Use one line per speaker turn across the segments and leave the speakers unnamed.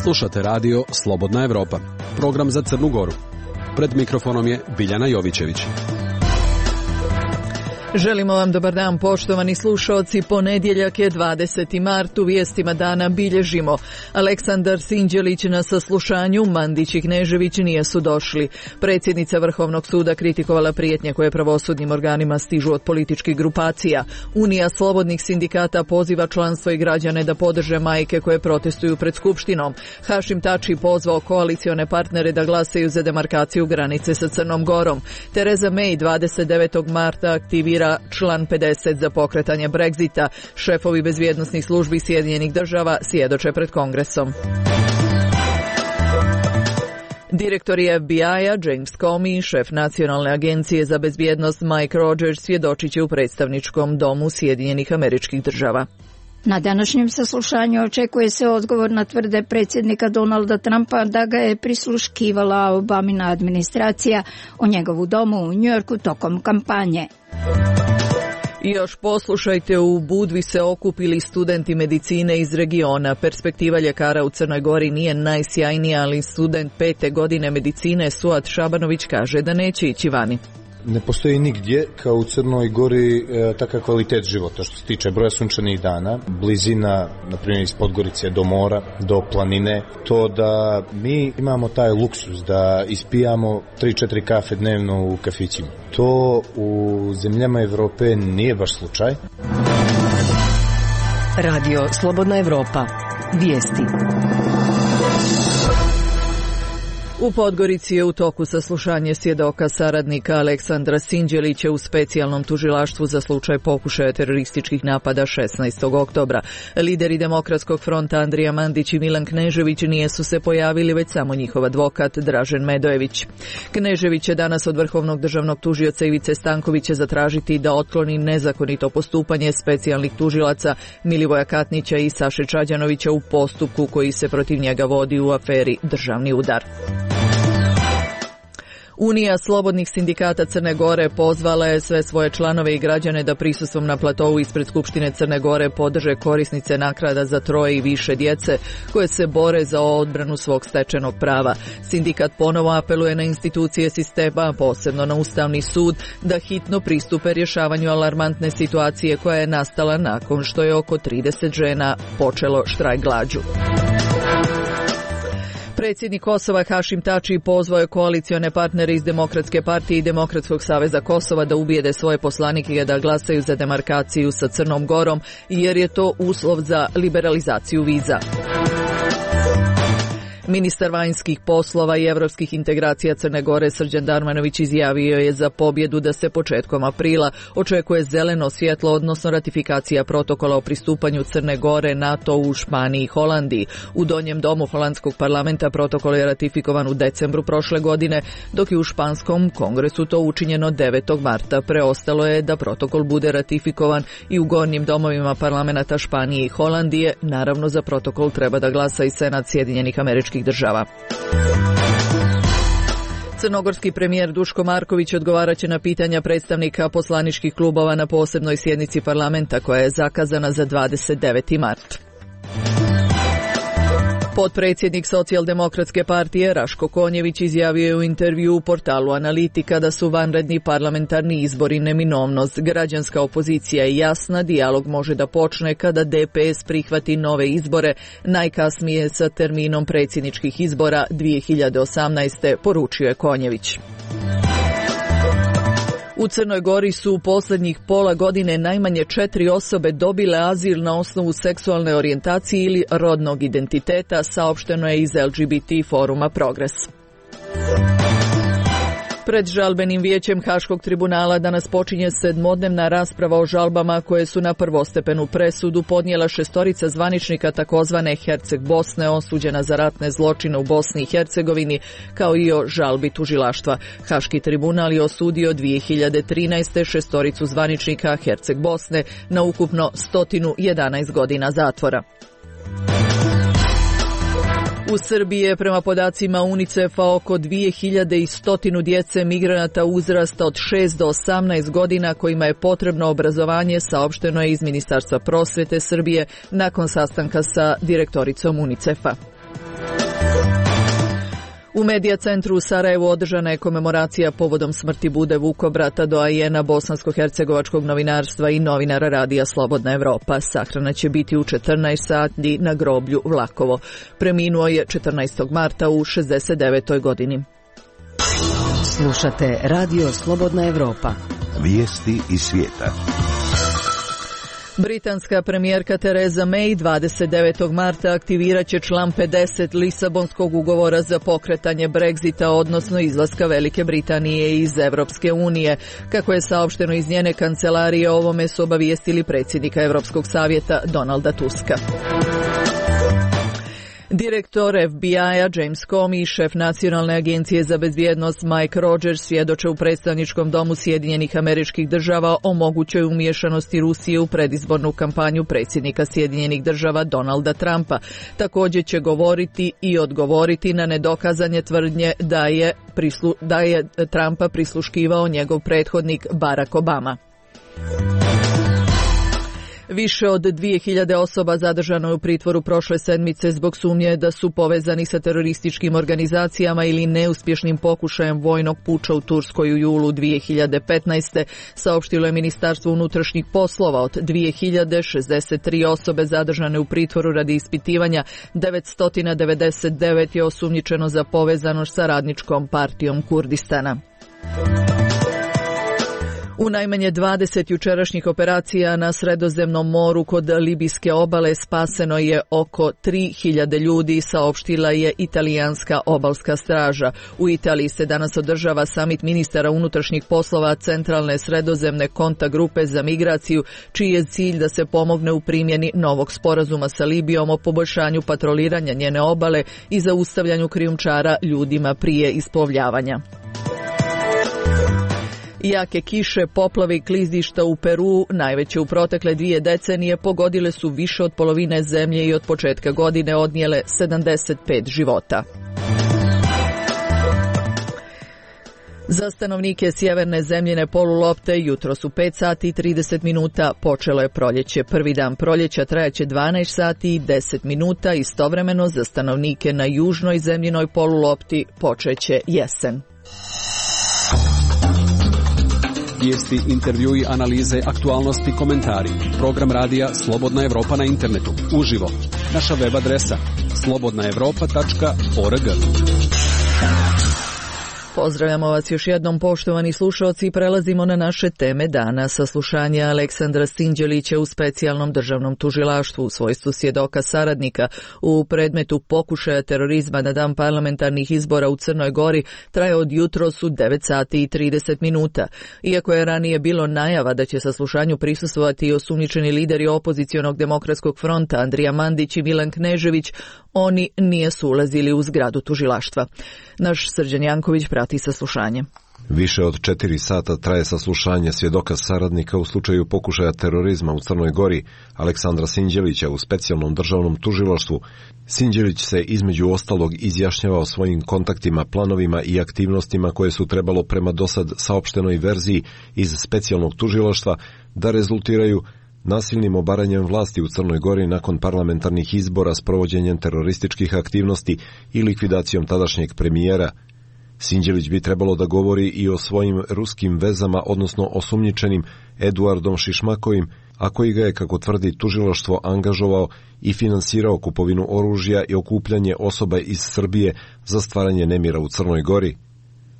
Slušate radio Slobodna Evropa, program za Crnu Goru. Pred mikrofonom je Biljana Jovićević.
Želimo vam dobar dan, poštovani slušaoci. Ponedjeljak je 20. mart, u vijestima dana bilježimo. Aleksandar Sinđelić na saslušanju, Mandić i Knežević nisu došli. Predsjednica Vrhovnog suda kritikovala prijetnje koje pravosudnim organima stižu od političkih grupacija. Unija slobodnih sindikata poziva članstvo i građane da podrže majke koje protestuju pred Skupštinom. Hašim Tači pozvao koalicione partnere da glasaju za demarkaciju granice sa Crnom Gorom. Tereza May 29. marta aktivira član 50 za pokretanje Brexita. Šefovi bezbjednosnih službi Sjedinjenih država svjedoče pred Kongresom. Direktor FBI-a James Comey, šef Nacionalne agencije za bezbjednost Mike Rogers svjedočit će u predstavničkom domu Sjedinjenih Američkih Država.
Na današnjem saslušanju očekuje se odgovor na tvrde predsjednika Donalda Trumpa da ga je prisluškivala Obamina administracija u njegovu domu u Njujorku tokom kampanje.
I još poslušajte, u Budvi se okupili studenti medicine iz regiona. Perspektiva ljekara u Crnoj Gori nije najsjajnija, ali student 5. godine medicine Suad Šabanović kaže da neće ići vani.
Ne postoji nigdje kao u Crnoj Gori takav kvalitet života što se tiče broja sunčanih dana, blizina, na primjer iz Podgorice do mora, do planine, to da mi imamo taj luksus da ispijamo 3-4 kafe dnevno u kafićima. To u zemljama Evrope nije baš slučaj.
Radio Slobodna Evropa. Vijesti.
U Podgorici je u toku saslušanje svjedoka saradnika Aleksandra Sinđelića u specijalnom tužilaštvu za slučaj pokušaja terorističkih napada 16. oktobra. Lideri Demokratskog fronta Andrija Mandić i Milan Knežević nisu se pojavili, već samo njihov advokat Dražen Medojević. Knežević će danas od Vrhovnog državnog tužioca Ivice Stankovića zatražiti da otkloni nezakonito postupanje specijalnih tužilaca Milivoja Katnića i Saše Čađanovića u postupku koji se protiv njega vodi u aferi Državni udar. Unija slobodnih sindikata Crne Gore pozvala je sve svoje članove i građane da prisustvom na platovu ispred Skupštine Crne Gore podrže korisnice naknada za 3 i više djece koje se bore za odbranu svog stečenog prava. Sindikat ponovo apeluje na institucije sistema, posebno na Ustavni sud, da hitno pristupe rješavanju alarmantne situacije koja je nastala nakon što je oko 30 žena počelo štrajk glađu. Predsjednik Kosova Hašim Tači pozvao je koalicione partnere iz Demokratske partije i Demokratskog saveza Kosova da ubijede svoje poslanike da glasaju za demarkaciju sa Crnom Gorom, jer je to uslov za liberalizaciju viza. Ministar vanjskih poslova i europskih integracija Crne Gore Srđan Darmanović izjavio je za pobjedu da se početkom aprila očekuje zeleno svjetlo, odnosno ratifikacija protokola o pristupanju Crne Gore NATO u Španiji i Holandiji. U donjem domu holandskog parlamenta protokol je ratifikovan u decembru prošle godine, dok je u španskom kongresu to učinjeno 9. marta. Preostalo je da protokol bude ratifikovan i u gornjim domovima parlamenta Španije i Holandije. Naravno, za protokol treba da glasa i Senat Sjedinjenih Američkih Država. Crnogorski premijer Duško Marković odgovarat će na pitanja predstavnika poslaničkih klubova na posebnoj sjednici parlamenta koja je zakazana za 29. mart. Potpredsjednik Socijaldemokratske partije Raško Konjević izjavio je u intervju u portalu Analitika da su vanredni parlamentarni izbori neminovnost. Građanska opozicija je jasna, dijalog može da počne kada DPS prihvati nove izbore, najkasnije sa terminom predsjedničkih izbora 2018. poručio je Konjević. U Crnoj Gori su u posljednjih pola godine najmanje 4 osobe dobile azil na osnovu seksualne orijentacije ili rodnog identiteta, saopšteno je iz LGBT foruma Progres. Pred žalbenim vijećem Haškog tribunala danas počinje 7-dnevna rasprava o žalbama koje su na prvostepenu presudu podnijela 6 zvaničnika takozvane Herceg Bosne osuđena za ratne zločine u Bosni i Hercegovini, kao i o žalbi tužilaštva. Haški tribunal je osudio 2013. 6 zvaničnika Herceg Bosne na ukupno 111 godina zatvora. U Srbiji je prema podacima UNICEF-a oko 2100 djece migranata uzrasta od 6 do 18 godina kojima je potrebno obrazovanje, saopšteno je iz Ministarstva prosvete Srbije nakon sastanka sa direktoricom UNICEF-a. U Medija centru u Sarajevu održana je komemoracija povodom smrti Bude Vukobrata, doajena bosansko-hercegovačkog novinarstva i novinara radija Slobodna Evropa. Sahrana će biti u 14 sati na groblju Vlakovo. Preminuo je 14. marta u 69. godini.
Slušate Radio Slobodna Evropa.
Vijesti iz svijeta.
Britanska premijerka Theresa May 29. marta aktivirat će član 50 Lisabonskog ugovora za pokretanje Brexita, odnosno izlaska Velike Britanije iz Evropske unije. Kako je saopšteno iz njene kancelarije, o ovome su obavijestili predsjednika Europskog savjeta Donalda Tuska. Direktor FBI-a James Comey i šef Nacionalne agencije za bezbjednost Mike Rogers svjedoče u predstavničkom domu Sjedinjenih Američkih Država o mogućoj umiješanosti Rusije u predizbornu kampanju predsjednika Sjedinjenih Država Donalda Trumpa. Također će govoriti i odgovoriti na nedokazanje tvrdnje da je Trumpa prisluškivao njegov prethodnik Barack Obama. Više od 2000 osoba zadržano je u pritvoru prošle sedmice zbog sumnje da su povezani sa terorističkim organizacijama ili neuspješnim pokušajem vojnog puča u Turskoj u julu 2015. Saopštilo je Ministarstvo unutrašnjih poslova. Od 2063 osobe zadržane u pritvoru radi ispitivanja, 999 je osumnjičeno za povezanost sa Radničkom partijom Kurdistana. U najmanje 20 jučerašnjih operacija na Sredozemnom moru kod libijske obale spaseno je oko 3000 ljudi, saopštila je italijanska obalska straža. U Italiji se danas održava samit ministara unutrašnjih poslova Centralne sredozemne kontakt grupe za migraciju, čiji je cilj da se pomogne u primjeni novog sporazuma sa Libijom o poboljšanju patroliranja njene obale i zaustavljanju krijumčara ljudima prije isplovljavanja. Jake kiše, poplave i klizišta u Peru, najveće u protekle 2 decenije, pogodile su više od polovine zemlje i od početka godine odnijele 75 života. Za stanovnike sjeverne zemljine polulopte jutros u 5 sati i 30 minuta počelo je proljeće. Prvi dan proljeća trajaće 12 sati i 10 minuta, istovremeno za stanovnike na južnoj zemljinoj polulopti počeće jesen.
Vijesti, intervjui, analize, aktualnosti, komentari. Program radija Slobodna Evropa na internetu. Uživo. Naša web adresa slobodnaevropa.org.
Pozdravljamo vas još jednom, poštovani slušalci, i prelazimo na naše teme dana. Saslušanje Aleksandra Sinđelića u specijalnom državnom tužilaštvu u svojstvu svjedoka saradnika u predmetu pokušaja terorizma na dan parlamentarnih izbora u Crnoj Gori traje od jutros u 9 sati i 30 minuta. Iako je ranije bilo najava da će saslušanju prisustvovati i osumnjičeni lideri opozicionog demokratskog fronta Andrija Mandić i Milan Knežević, oni nisu ulazili u zgradu tužilaštva. Naš Srđan Janković prati saslušanje.
Više od 4 sata traje saslušanje svjedoka saradnika u slučaju pokušaja terorizma u Crnoj Gori Aleksandra Sinđelića u specijalnom državnom tužilaštvu. Sinđelić se između ostalog izjašnjava o svojim kontaktima, planovima i aktivnostima koje su trebalo prema dosad saopštenoj verziji iz specijalnog tužilaštva da rezultiraju nasilnim obaranjem vlasti u Crnoj Gori nakon parlamentarnih izbora s provođenjem terorističkih aktivnosti i likvidacijom tadašnjeg premijera. Sinđelić bi trebalo da govori i o svojim ruskim vezama, odnosno osumnjičenim Eduardom Šišmakovim, a koji ga je, kako tvrdi tužilaštvo, angažovao i finansirao kupovinu oružja i okupljanje osoba iz Srbije za stvaranje nemira u Crnoj Gori.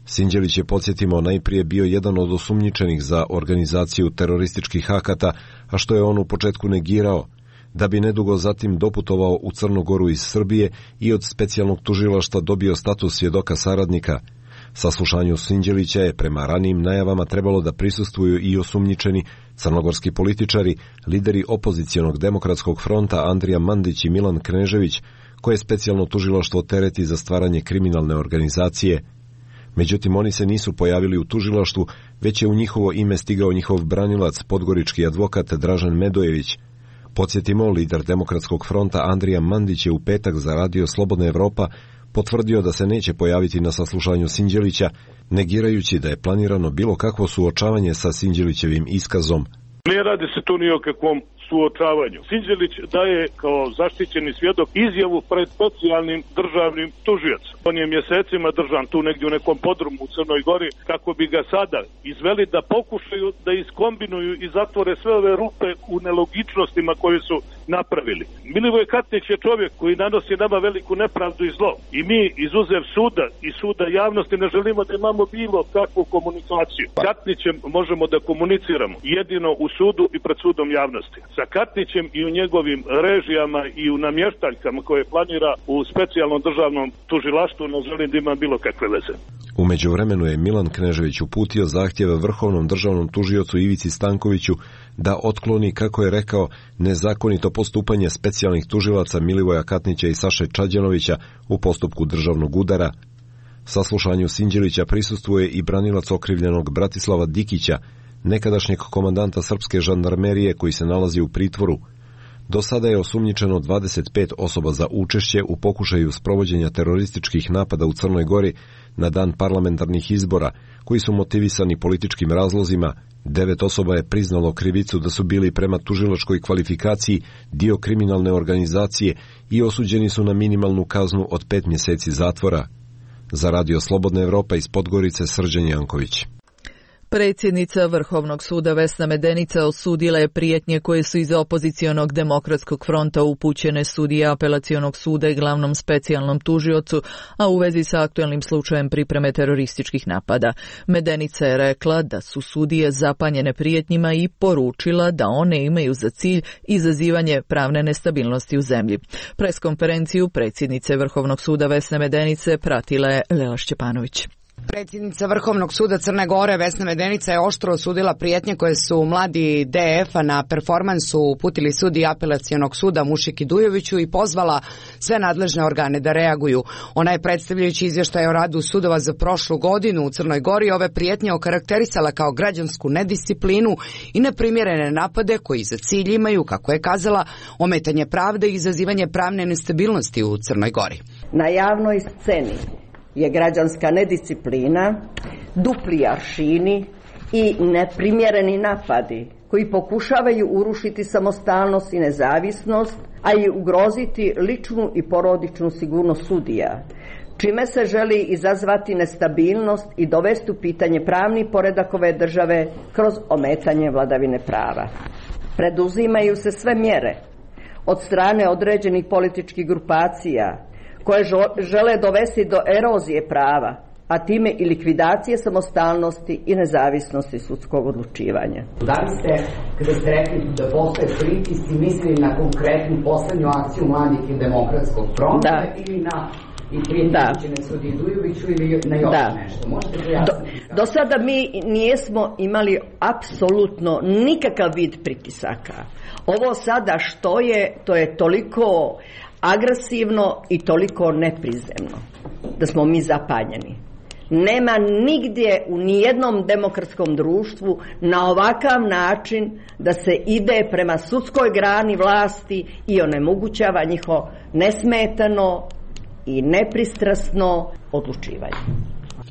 Sinđelić je, podsjetimo, najprije bio jedan od osumnjičenih za organizaciju terorističkih akata, a što je on u početku negirao, da bi nedugo zatim doputovao u Crnu Goru iz Srbije i od specijalnog tužilaštva dobio status svjedoka saradnika. Saslušanju Sinđelića je prema ranijim najavama trebalo da prisustvuju i osumnjičeni crnogorski političari, lideri opozicionog demokratskog fronta Andrija Mandić i Milan Knežević, koje specijalno tužilaštvo tereti za stvaranje kriminalne organizacije. Međutim, oni se nisu pojavili u tužilaštvu, već je u njihovo ime stigao njihov branilac, podgorički advokat Dražen Medojević. Podsjetimo, lider Demokratskog fronta Andrija Mandić je u petak za radio Slobodna Evropa potvrdio da se neće pojaviti na saslušanju Sinđelića, negirajući da je planirano bilo kakvo suočavanje sa Sinđelićevim iskazom.
Ne radi se tu ni o kakvom suočavanju. Sinđelić daje kao zaštićeni svjedok izjavu pred specijalnim državnim tužiocem. On je mjesecima držan tu negdje u nekom podrumu u Crnoj Gori kako bi ga sada izveli da pokušaju da iskombinuju i zatvore sve ove rupe u nelogičnostima koje su napravili. Milivoj Katnić je čovjek koji nanosi nama veliku nepravdu i zlo. I mi izuzev suda i suda javnosti ne želimo da imamo bilo kakvu komunikaciju. Katnićem možemo da komuniciramo jedino u sudu i pred sudom javnosti. Sa Katnićem i u njegovim režijama i u namještaljkama koje planira u specijalnom državnom tužilaštvu ne želim da ima bilo kakve veze.
U međuvremenu je Milan Knežević uputio zahtjeve Vrhovnom državnom tužiocu Ivici Stankoviću da otkloni, kako je rekao, nezakonito postupanje specijalnih tužilaca Milivoja Katnića i Saše Čađanovića u postupku državnog udara. Saslušanju Sinđelića prisustvuje i branilac okrivljenog Bratislava Dikića, nekadašnjeg komandanta srpske žandarmerije koji se nalazi u pritvoru. Do sada je osumnjičeno 25 osoba za učešće u pokušaju sprovođenja terorističkih napada u Crnoj Gori na dan parlamentarnih izbora, koji su motivisani političkim razlozima. 9 osoba je priznalo krivicu da su bili prema tužilačkoj kvalifikaciji dio kriminalne organizacije i osuđeni su na minimalnu kaznu od 5 mjeseci zatvora. Za radio Slobodna Evropa iz Podgorice, Srđan Janković.
Predsjednica Vrhovnog suda Vesna Medenica osudila je prijetnje koje su iz opozicionog Demokratskog fronta upućene sudiji Apelacionog suda i glavnom specijalnom tužiocu, a u vezi sa aktualnim slučajem pripreme terorističkih napada. Medenica je rekla da su sudije zapanjene prijetnjima i poručila da one imaju za cilj izazivanje pravne nestabilnosti u zemlji. Preskonferenciju predsjednice Vrhovnog suda Vesne Medenice pratila je Lela Šćepanović.
Predsjednica Vrhovnog suda Crne Gore Vesna Medenica je oštro osudila prijetnje koje su mladi DF-a na performansu uputili sudiji Apelacionog suda Mušiki Dujoviću i pozvala sve nadležne organe da reaguju. Ona je, predstavljajući izvještaj o radu sudova za prošlu godinu u Crnoj Gori, ove prijetnje okarakterisala kao građansku nedisciplinu i neprimjerene napade koji za cilj imaju, kako je kazala, ometanje pravde i izazivanje pravne nestabilnosti u Crnoj Gori.
Na javnoj sceni je građanska nedisciplina, dupli aršini i neprimjereni napadi koji pokušavaju urušiti samostalnost i nezavisnost, a i ugroziti ličnu i porodičnu sigurnost sudija, čime se želi izazvati nestabilnost i dovesti u pitanje pravni poredak ove države kroz ometanje vladavine prava. Preduzimaju se sve mjere od strane određenih političkih grupacija koje žele dovesti do erozije prava, a time i likvidacije samostalnosti i nezavisnosti sudskog odlučivanja.
Da li ste, kada ste rekli da postoje pritisci, mislili na konkretnu poslednju akciju mladih i Demokratskog fronta ili na prijetnje sudiji Dujoviću ili na još nešto? Možete pojasniti?
Do sada mi nismo imali apsolutno nikakav vid pritisaka. Ovo sada što je, to je toliko agresivno i toliko neprizemno da smo mi zapanjeni. Nema nigdje u nijednom demokratskom društvu na ovakav način da se ide prema sudskoj grani vlasti i onemogućava njihovo nesmetano i nepristrasno odlučivanje.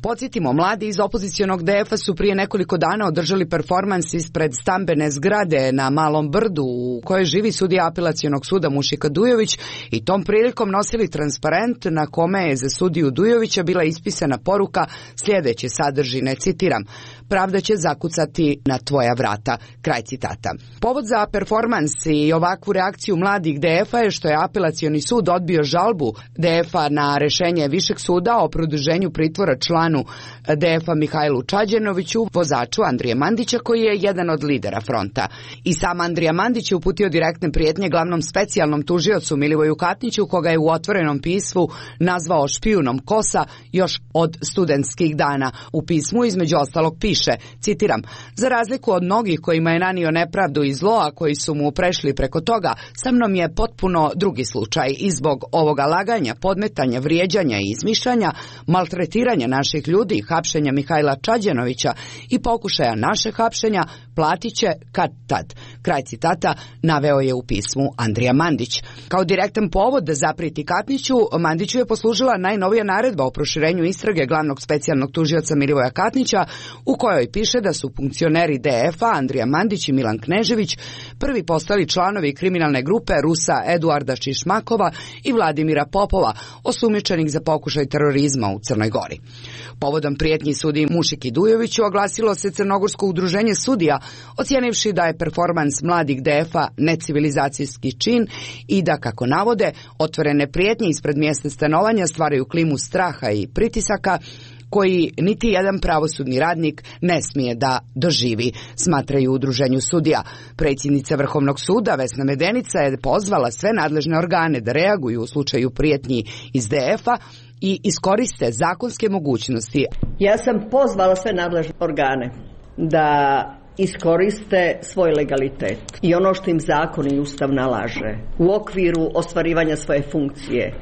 Podsjetimo, mladi iz opozicionog DF-a su prije nekoliko dana održali performans ispred stambene zgrade na Malom Brdu u kojoj živi sudija Apelacionog suda Mušika Dujović i tom prilikom nosili transparent na kome je za sudiju Dujovića bila ispisana poruka sljedeće sadržine, citiram: "Pravda će zakucati na tvoja vrata", kraj citata. Povod za performans i ovakvu reakciju mladih DF-a je što je Apelacioni sud odbio žalbu DF-a na rešenje Višeg suda o produženju pritvora članu DF-a Mihajlu Čađanoviću, vozaču Andrije Mandića, koji je jedan od lidera fronta. I sam Andrija Mandić je uputio direktne prijetnje glavnom specijalnom tužiocu Milivoju Katniću, koga je u otvorenom pismu nazvao špijunom KOS-a još od studentskih dana. U pismu između ostalog piše, citiram: "Za razliku od mnogih kojima je nanio nepravdu i zlo, a koji su mu prešli preko toga, sa mnom je potpuno drugi slučaj i zbog ovoga laganja, podmetanja, vrijeđanja i izmišljanja, maltretiranja naših svojih ljudi, hapšenja Mihajla Čađanovića i pokušaja našeg hapšenja, platit će kad tad. Kraj citata naveo je u pismu Andrija Mandić. Kao direktan povod da zapreti Katniću, Mandiću je poslužila najnovija naredba o proširenju istrage glavnog specijalnog tužioca Milivoja Katnića, u kojoj piše da su funkcioneri DF-a Andrija Mandić i Milan Knežević prvi postali članovi kriminalne grupe Rusa Eduarda Čišmakova i Vladimira Popova, osumnjičenih za pokušaj terorizma u Crnoj Gori. Povodom prijetnji sudiji Mušiki Dujoviću oglasilo se Crnogorsko udruženje sudija, ocijenivši da je performans mladih DF-a necivilizacijski čin i da, kako navode, otvorene prijetnje ispred mjesta stanovanja stvaraju klimu straha i pritisaka koji niti jedan pravosudni radnik ne smije da doživi, smatraju u udruženju sudija. Predsjednica Vrhovnog suda Vesna Medenica je pozvala sve nadležne organe da reaguju u slučaju prijetnji iz DF-a i iskoriste zakonske mogućnosti.
Ja sam pozvala sve nadležne organe da iskoriste svoj legalitet i ono što im zakon i ustav nalaže u okviru ostvarivanja svoje funkcije,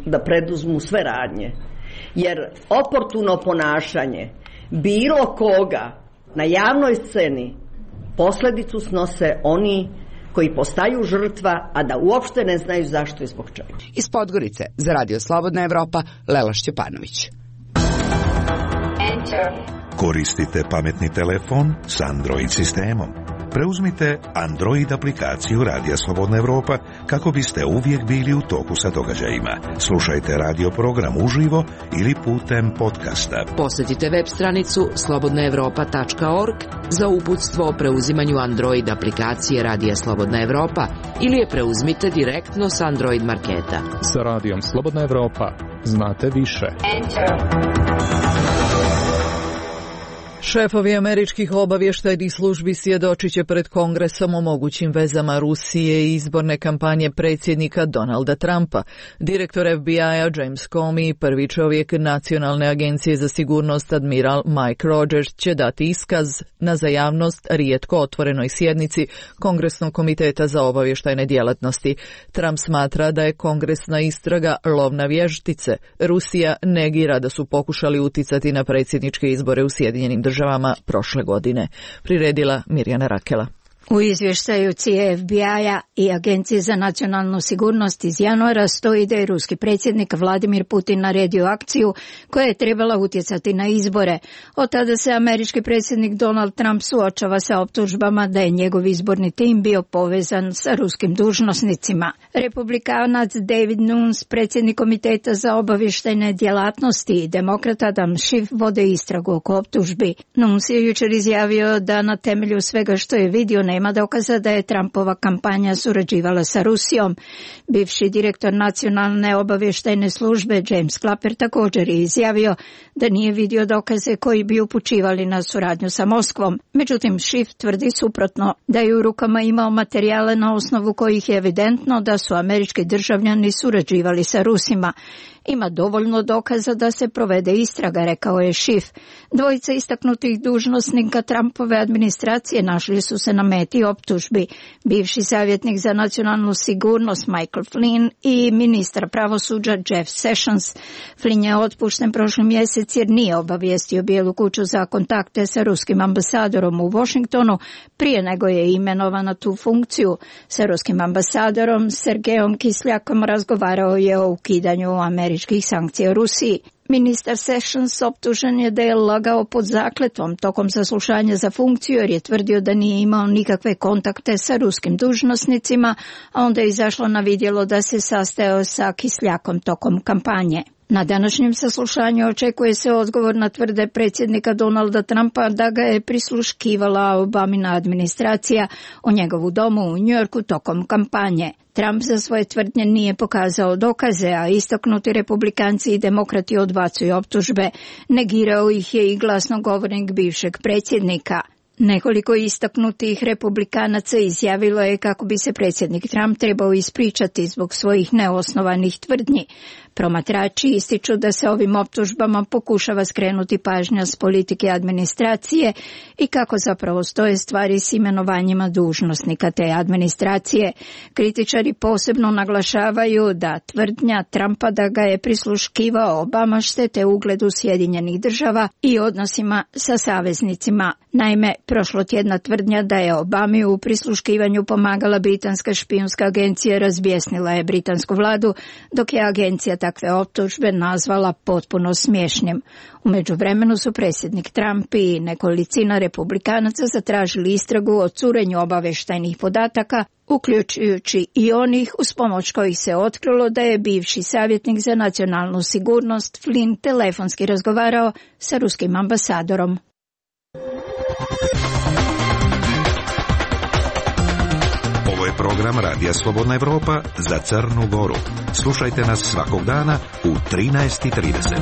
da preduzmu sve radnje. Jer oportuno ponašanje bilo koga na javnoj sceni posljedicu snose oni koji postaju žrtva, a da uopšte ne znaju zašto i zbog čega.
Iz Podgorice za Radio Slobodna Evropa, Lela Šćepanović.
Koristite pametni telefon s Android sistemom. Preuzmite Android aplikaciju Radija Slobodna Evropa kako biste uvijek bili u toku sa događajima. Slušajte radio program uživo ili putem podcasta.
Posjetite web stranicu slobodnaevropa.org za uputstvo o preuzimanju Android aplikacije Radija Slobodna Evropa ili je preuzmite direktno s Android marketa.
Sa Radijom Slobodna Evropa znate više.
Šefovi američkih obavještajnih službi svjedočit će pred Kongresom o mogućim vezama Rusije i izborne kampanje predsjednika Donalda Trumpa. Direktor FBI-a James Comey i prvi čovjek Nacionalne agencije za sigurnost admiral Mike Rogers će dati iskaz na za javnost rijetko otvorenoj sjednici Kongresnog komiteta za obavještajne djelatnosti. Trump smatra da je kongresna istraga lov na vještice. Rusija negira da su pokušali uticati na predsjedničke izbore u Sjedinjenim državama prošle godine. Priredila Mirjana Rakela.
U izvještaju FBI-a i Agencije za nacionalnu sigurnost iz januara stoji da je ruski predsjednik Vladimir Putin naredio akciju koja je trebala utjecati na izbore. Od tada se američki predsjednik Donald Trump suočava sa optužbama da je njegov izborni tim bio povezan sa ruskim dužnosnicima. Republikanac David Nunes, predsjednik komiteta za obavještajne djelatnosti, i demokrat Adam Schiff vode istragu oko optužbi. Nunes je jučer izjavio da na temelju svega što je vidio nema dokaza da je Trumpova kampanja surađivala sa Rusijom. Bivši direktor Nacionalne obavještajne službe James Clapper također je izjavio da nije vidio dokaze koji bi upućivali na suradnju sa Moskvom. Međutim, Schiff tvrdi suprotno, da je u rukama imao materijale na osnovu kojih je evidentno da su američki državljani surađivali sa Rusima. Ima dovoljno dokaza da se provede istraga, rekao je Schiff. Dvojica istaknutih dužnosnika Trumpove administracije našli su se na meti optužbi. Bivši savjetnik za nacionalnu sigurnost Michael Flynn i ministar pravosuđa Jeff Sessions. Flynn je otpušten prošli mjesec jer nije obavijestio Bijelu kuću za kontakte sa ruskim ambasadorom u Washingtonu prije nego je imenovan na tu funkciju. Sa ruskim ambasadorom Sergejom Kisljakom razgovarao je o ukidanju američkih sankcija Rusiji. Ministar Sessions optužen je da je lagao pod zakletvom tokom saslušanja za funkciju jer je tvrdio da nije imao nikakve kontakte sa ruskim dužnosnicima, a onda je izašlo na vidjelo da se sastajao sa Kisljakom tokom kampanje. Na današnjem saslušanju očekuje se odgovor na tvrde predsjednika Donalda Trumpa da ga je prisluškivala Obamina administracija u njegovu domu u Njujorku tokom kampanje. Trump za svoje tvrdnje nije pokazao dokaze, a istaknuti republikanci i demokrati odbacuju optužbe. Negirao ih je i glasnogovornik bivšeg predsjednika. Nekoliko istaknutih republikanaca izjavilo je kako bi se predsjednik Trump trebao ispričati zbog svojih neosnovanih tvrdnji. Promatrači ističu da se ovim optužbama pokušava skrenuti pažnja s politike administracije i kako zapravo stoje stvari s imenovanjima dužnosnika te administracije. Kritičari posebno naglašavaju da tvrdnja Trumpa da ga je prisluškivao Obama štete ugledu Sjedinjenih država i odnosima sa saveznicima. Naime, prošlotjedna tvrdnja da je Obami u prisluškivanju pomagala britanska špijunska agencija razbjesnila je britansku vladu, dok je agencija takve optužbe nazvala potpuno smiješnim. U međuvremenu su predsjednik Trump i nekolicina republikanaca zatražili istragu o curenju obavještajnih podataka, uključujući i onih uz pomoć kojih se otkrilo da je bivši savjetnik za nacionalnu sigurnost Flynn telefonski razgovarao sa ruskim ambasadorom.
Ovo je program Radija Slobodna Evropa za Crnu Goru. Slušajte nas svakog dana u 13:30.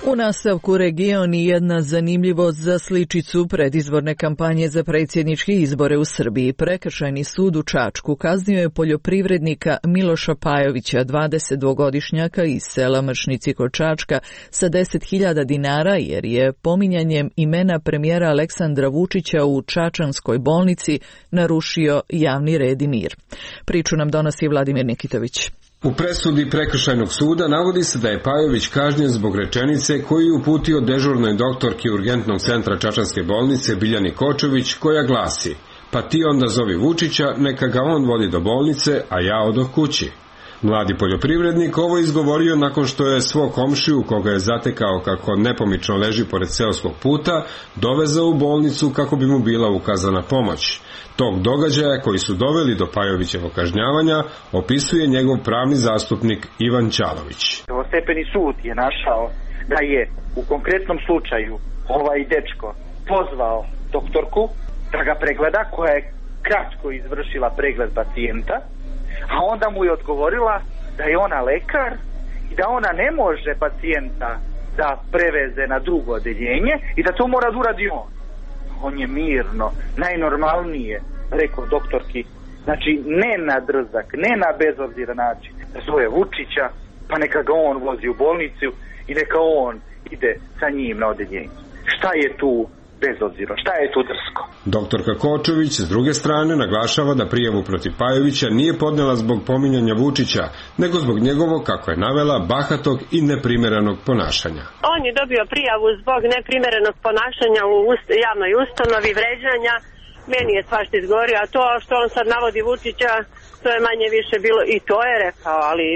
U nastavku region i jedna zanimljivost za sličicu predizborne kampanje za predsjedničke izbore u Srbiji. Prekršajni sud u Čačku kaznio je poljoprivrednika Miloša Pajovića, 22-godišnjaka iz sela Mršnici kod Čačka, sa 10.000 dinara jer je pominjanjem imena premijera Aleksandra Vučića u čačanskoj bolnici narušio javni red i mir. Priču nam donosi Vladimir Nikitović.
U presudi prekršajnog suda navodi se da je Pajović kažnjen zbog rečenice koju je uputio dežurnoj doktorki urgentnog centra čačanske bolnice Biljani Kočević, koja glasi: "Pa ti onda zovi Vučića, neka ga on vodi do bolnice, a ja odoh kući." Mladi poljoprivrednik ovo izgovorio nakon što je svog komšiju, koga je zatekao kako nepomično leži pored seoskog puta, dovezao u bolnicu kako bi mu bila ukazana pomoć. Tog događaja koji su doveli do Pajovićevog kažnjavanja opisuje njegov pravni zastupnik Ivan Ćalović.
Prvostepeni sud je našao da je u konkretnom slučaju ovaj dečko pozvao doktorku da ga pregleda, koja je kratko izvršila pregled pacijenta, a onda mu je odgovorila da je ona lekar i da ona ne može pacijenta da preveze na drugo odeljenje i da to mora da uradi on. On je mirno, najnormalnije rekao doktorki, znači ne na drzak, ne na bezobziran način, da zove Vučića, pa neka ga on vozi u bolnicu i neka on ide sa njim na odeljenje. Šta je tu bezobzirno, šta je tu drsko?
Doktorka Kočević s druge strane naglašava da prijavu protiv Pajovića nije podnela zbog pominjanja Vučića, nego zbog njegovog, kako je navela, bahatog i neprimerenog ponašanja.
On je dobio prijavu zbog neprimerenog ponašanja u javnoj ustanovi, vređanja. Meni je svašta izgovorio, a to što on sad navodi Vučića, to je manje više bilo, i to je rekao, ali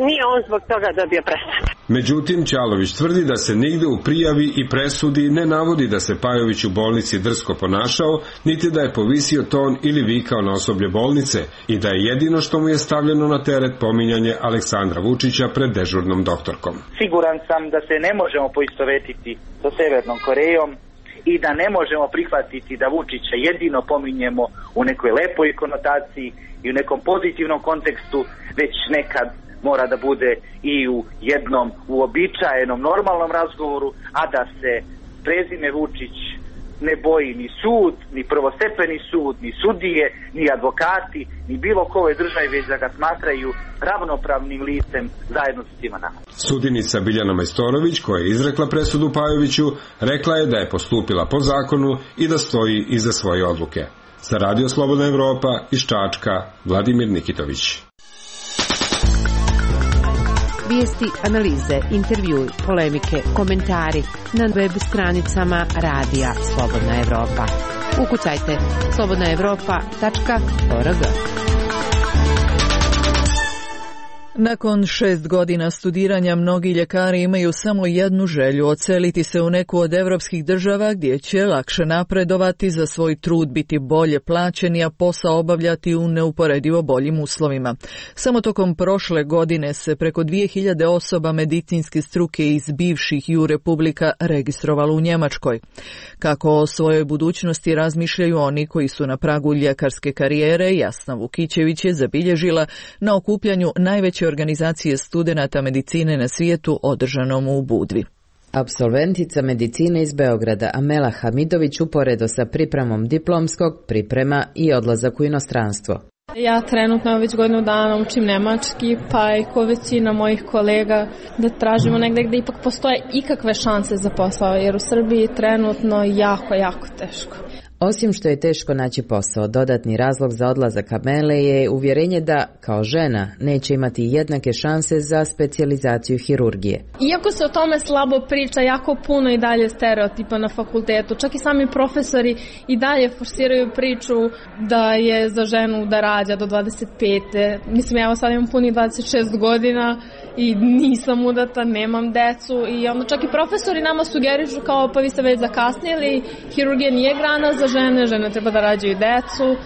nije on zbog toga dobio presudu.
Međutim, Ćalović tvrdi da se nigde u prijavi i presudi ne navodi da se Pajović u bolnici drsko ponašao, niti da je povisio ton ili vikao na osoblje bolnice i da je jedino što mu je stavljeno na teret pominjanje Aleksandra Vučića pred dežurnom doktorkom.
Siguran sam da se ne možemo poistovetiti sa Severnom Korejom i da ne možemo prihvatiti da Vučića jedino pominjemo u nekoj lepoj konotaciji i u nekom pozitivnom kontekstu, već nekad mora da bude i u jednom uobičajenom normalnom razgovoru, a da se prezime Vučić ne boji ni sud, ni prvostepeni sud, ni sudije, ni advokati, ni bilo ko ovoj državi, već da ga smatraju ravnopravnim licem zajedno sa svima nama.
Sudinica Biljana Majstorović, koja je izrekla presudu Pajoviću, rekla je da je postupila po zakonu i da stoji iza svoje odluke. Za Radio Slobodna Evropa iz Čačka, Vladimir Nikitović.
Vijesti, analize, intervjui, polemike, komentari na web stranicama Radija Slobodna Evropa. Ukucajte slobodnaevropa.org.
Nakon 6 godina studiranja mnogi ljekari imaju samo jednu želju: odseliti se u neku od evropskih država gdje će lakše napredovati, za svoj trud biti bolje plaćeni, a posao obavljati u neuporedivo boljim uslovima. Samo tokom prošle godine se preko 2000 osoba medicinske struke iz bivših ju republika registrovalo u Njemačkoj. Kako o svojoj budućnosti razmišljaju oni koji su na pragu ljekarske karijere, Jasna Vukićević je zabilježila na okupljanju najveće organizacije studenata medicine na svijetu održanom u Budvi.
Apsolventica medicine iz Beograda Amela Hamidović uporedo sa pripremom diplomskog priprema i odlazak u inostranstvo.
Ja trenutno već godinu dana učim nemački, pa i ko većina mojih kolega da tražimo negde gde ipak postoje ikakve šanse za posao, jer u Srbiji trenutno jako teško.
Osim što je teško naći posao, dodatni razlog za odlazak Amele je uvjerenje da, kao žena, neće imati jednake šanse za specijalizaciju hirurgije.
Iako se o tome slabo priča, jako puno i dalje stereotipa na fakultetu. Čak i sami profesori i dalje forsiraju priču da je za ženu da rađa do 25. Mislim, ja sad imam punih 26 godina i nisam udata, nemam decu i onda čak i profesori nama sugerišu kao pa vi ste već zakasnili, hirurgija nije grana za žene treba da rađaju decu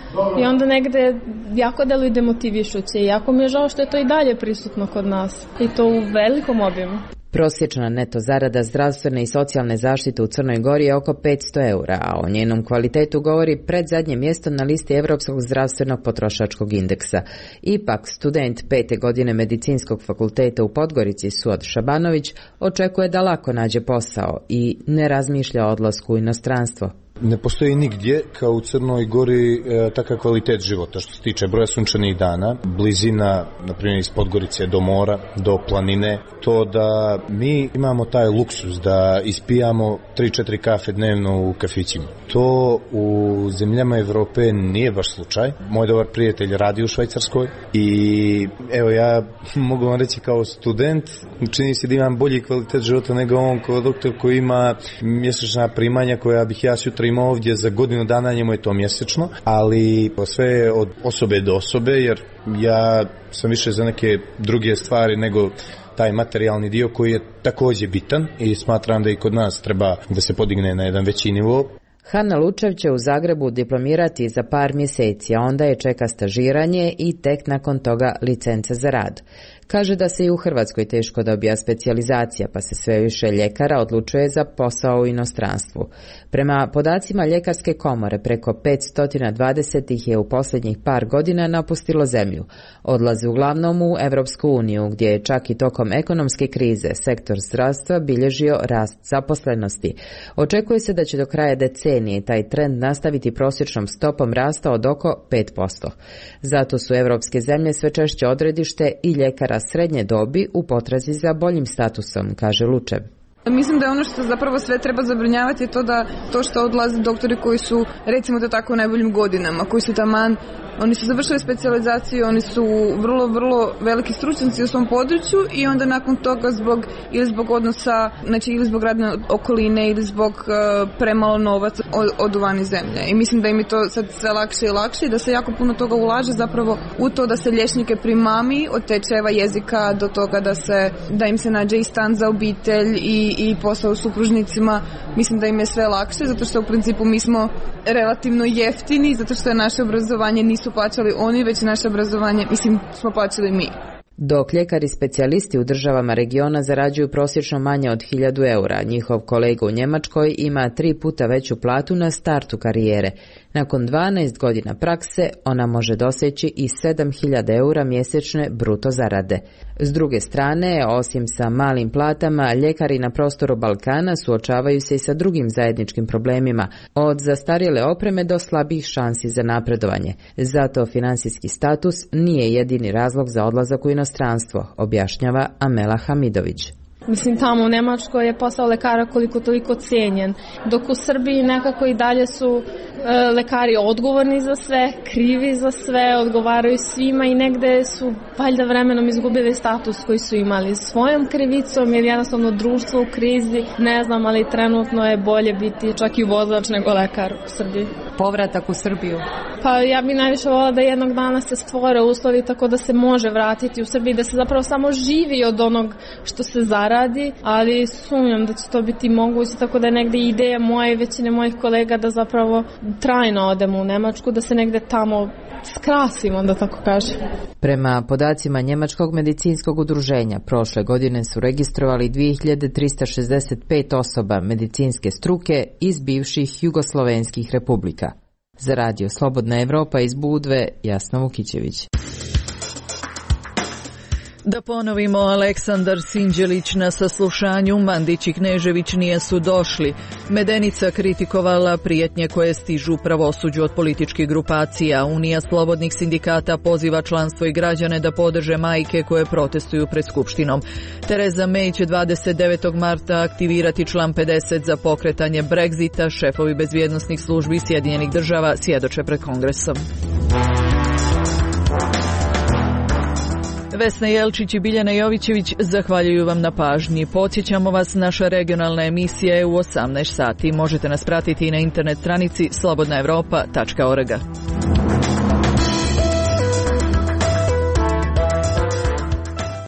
i onda negde jako deluju demotivišuće i jako mi je žao što je to i dalje prisutno kod nas i to u velikom obimu.
Prosječna neto zarada zdravstvene i socijalne zaštite u Crnoj Gori je oko 500 eura, a o njenom kvalitetu govori predzadnje mjesto na listi Evropskog zdravstvenog potrošačkog indeksa. Ipak, student 5. godine medicinskog fakulteta u Podgorici Suad Šabanović očekuje da lako nađe posao i ne razmišlja o odlasku u inostranstvo.
Ne postoji nigdje kao u Crnoj Gori takav kvalitet života što se tiče broja sunčanih dana, blizina, na primjer iz Podgorice do mora, do planine, to da mi imamo taj luksus da ispijamo 3-4 kafe dnevno u kafićima. To u zemljama Evrope nije baš slučaj. Moj dobar prijatelj radi u Švajcarskoj i evo ja mogu vam reći kao student, čini se da imam bolji kvalitet života nego on kao doktor koji ima mjesečna primanja koja bih ja sutra imao ovdje za godinu dana, njemu je to mjesečno, ali sve je od osobe do osobe, jer ja sam više za neke druge stvari nego taj materijalni dio koji je također bitan i smatram da i kod nas treba da se podigne na jedan veći nivo.
Hana Lučev će u Zagrebu diplomirati za par mjeseci, a onda je čeka stažiranje i tek nakon toga licence za rad. Kaže da se i u Hrvatskoj teško dobija specijalizacija, pa se sve više ljekara odlučuje za posao u inostranstvu. Prema podacima Ljekarske komore, preko 520 ih je u posljednjih par godina napustilo zemlju. Odlaze uglavnom u Evropsku uniju, gdje je čak i tokom ekonomske krize sektor zdravstva bilježio rast zaposlenosti. Očekuje se da će do kraja decenije taj trend nastaviti prosječnom stopom rasta od oko 5%. Zato su evropske zemlje sve češće odredište i ljekara srednje dobi u potrazi za boljim statusom, kaže Lučev.
Mislim da ono što zapravo sve treba zabrinjavati je to što odlaze doktori koji su, recimo to tako, u najboljim godinama, koji su taman, oni su završili specijalizaciju, oni su vrlo veliki stručnjaci u svom području i onda nakon toga zbog odnosa, znači ili zbog radne okoline ili zbog premalo novaca odu van iz zemlje. I mislim da im je to sad sve lakše i lakše i da se jako puno toga ulaže zapravo u to da se liječnike primami od tečajeva jezika do toga da im se nađe i stan za obitelj i posao s supružnicima. Mislim da im je sve lakše zato što u principu mi smo relativno jeftini, zato što je naše obrazovanje nisu plaćali oni, već naše obrazovanje, smo plaćali mi.
Dok ljekari specijalisti u državama regiona zarađuju prosječno manje od 1000 eura, njihov kolega u Njemačkoj ima 3 puta veću platu na startu karijere. Nakon 12 godina prakse ona može doseći i 7000 eura mjesečne bruto zarade. S druge strane, osim sa malim platama, ljekari na prostoru Balkana suočavaju se i sa drugim zajedničkim problemima, od zastarjele opreme do slabih šansi za napredovanje. Zato finansijski status nije jedini razlog za odlazak u inostranstvo, objašnjava Amela Hamidović.
Mislim, tamo u Njemačkoj je posao lekara koliko toliko cijenjen, dok u Srbiji nekako i dalje su lekari odgovorni za sve, krivi za sve, odgovaraju svima i negde su valjda vremenom izgubili status koji su imali svojom krivicom jer jednostavno društvo u krizi, ne znam, ali trenutno je bolje biti čak i vozač nego lekar u Srbiji.
Povratak u Srbiju?
Pa ja bih najviše volila da jednog dana se stvore uslovi tako da se može vratiti u Srbiji, da se zapravo samo živi od onog što se zaradi, ali sumnjam da će to biti moguće, tako da je negde ideja moja i većine mojih kolega da zapravo trajno odemo u Nemačku, da se negde tamo skrasimo, da tako kažem.
Prema podacima Njemačkog medicinskog udruženja, prošle godine su registrovali 2365 osoba medicinske struke iz bivših jugoslovenskih republika. Za radio Slobodna Evropa iz Budve, Jasna Vukićević.
Da ponovimo, Aleksandar Sinđelić na saslušanju, Mandić i Knežević nisu došli. Medenica kritikovala prijetnje koje stižu pravosuđu od političkih grupacija. Unija slobodnih sindikata poziva članstvo i građane da podrže majke koje protestuju pred Skupštinom. Tereza May će 29. marta aktivirati član 50 za pokretanje Brexita. Šefovi bezbjednosnih službi Sjedinjenih država svjedoče pred Kongresom. Vesna Jelčić i Biljana Jovićević zahvaljuju vam na pažnji. Podsjećamo vas, naša regionalna emisija je u 18 sati. Možete nas pratiti i na internet stranici slobodnaevropa.org.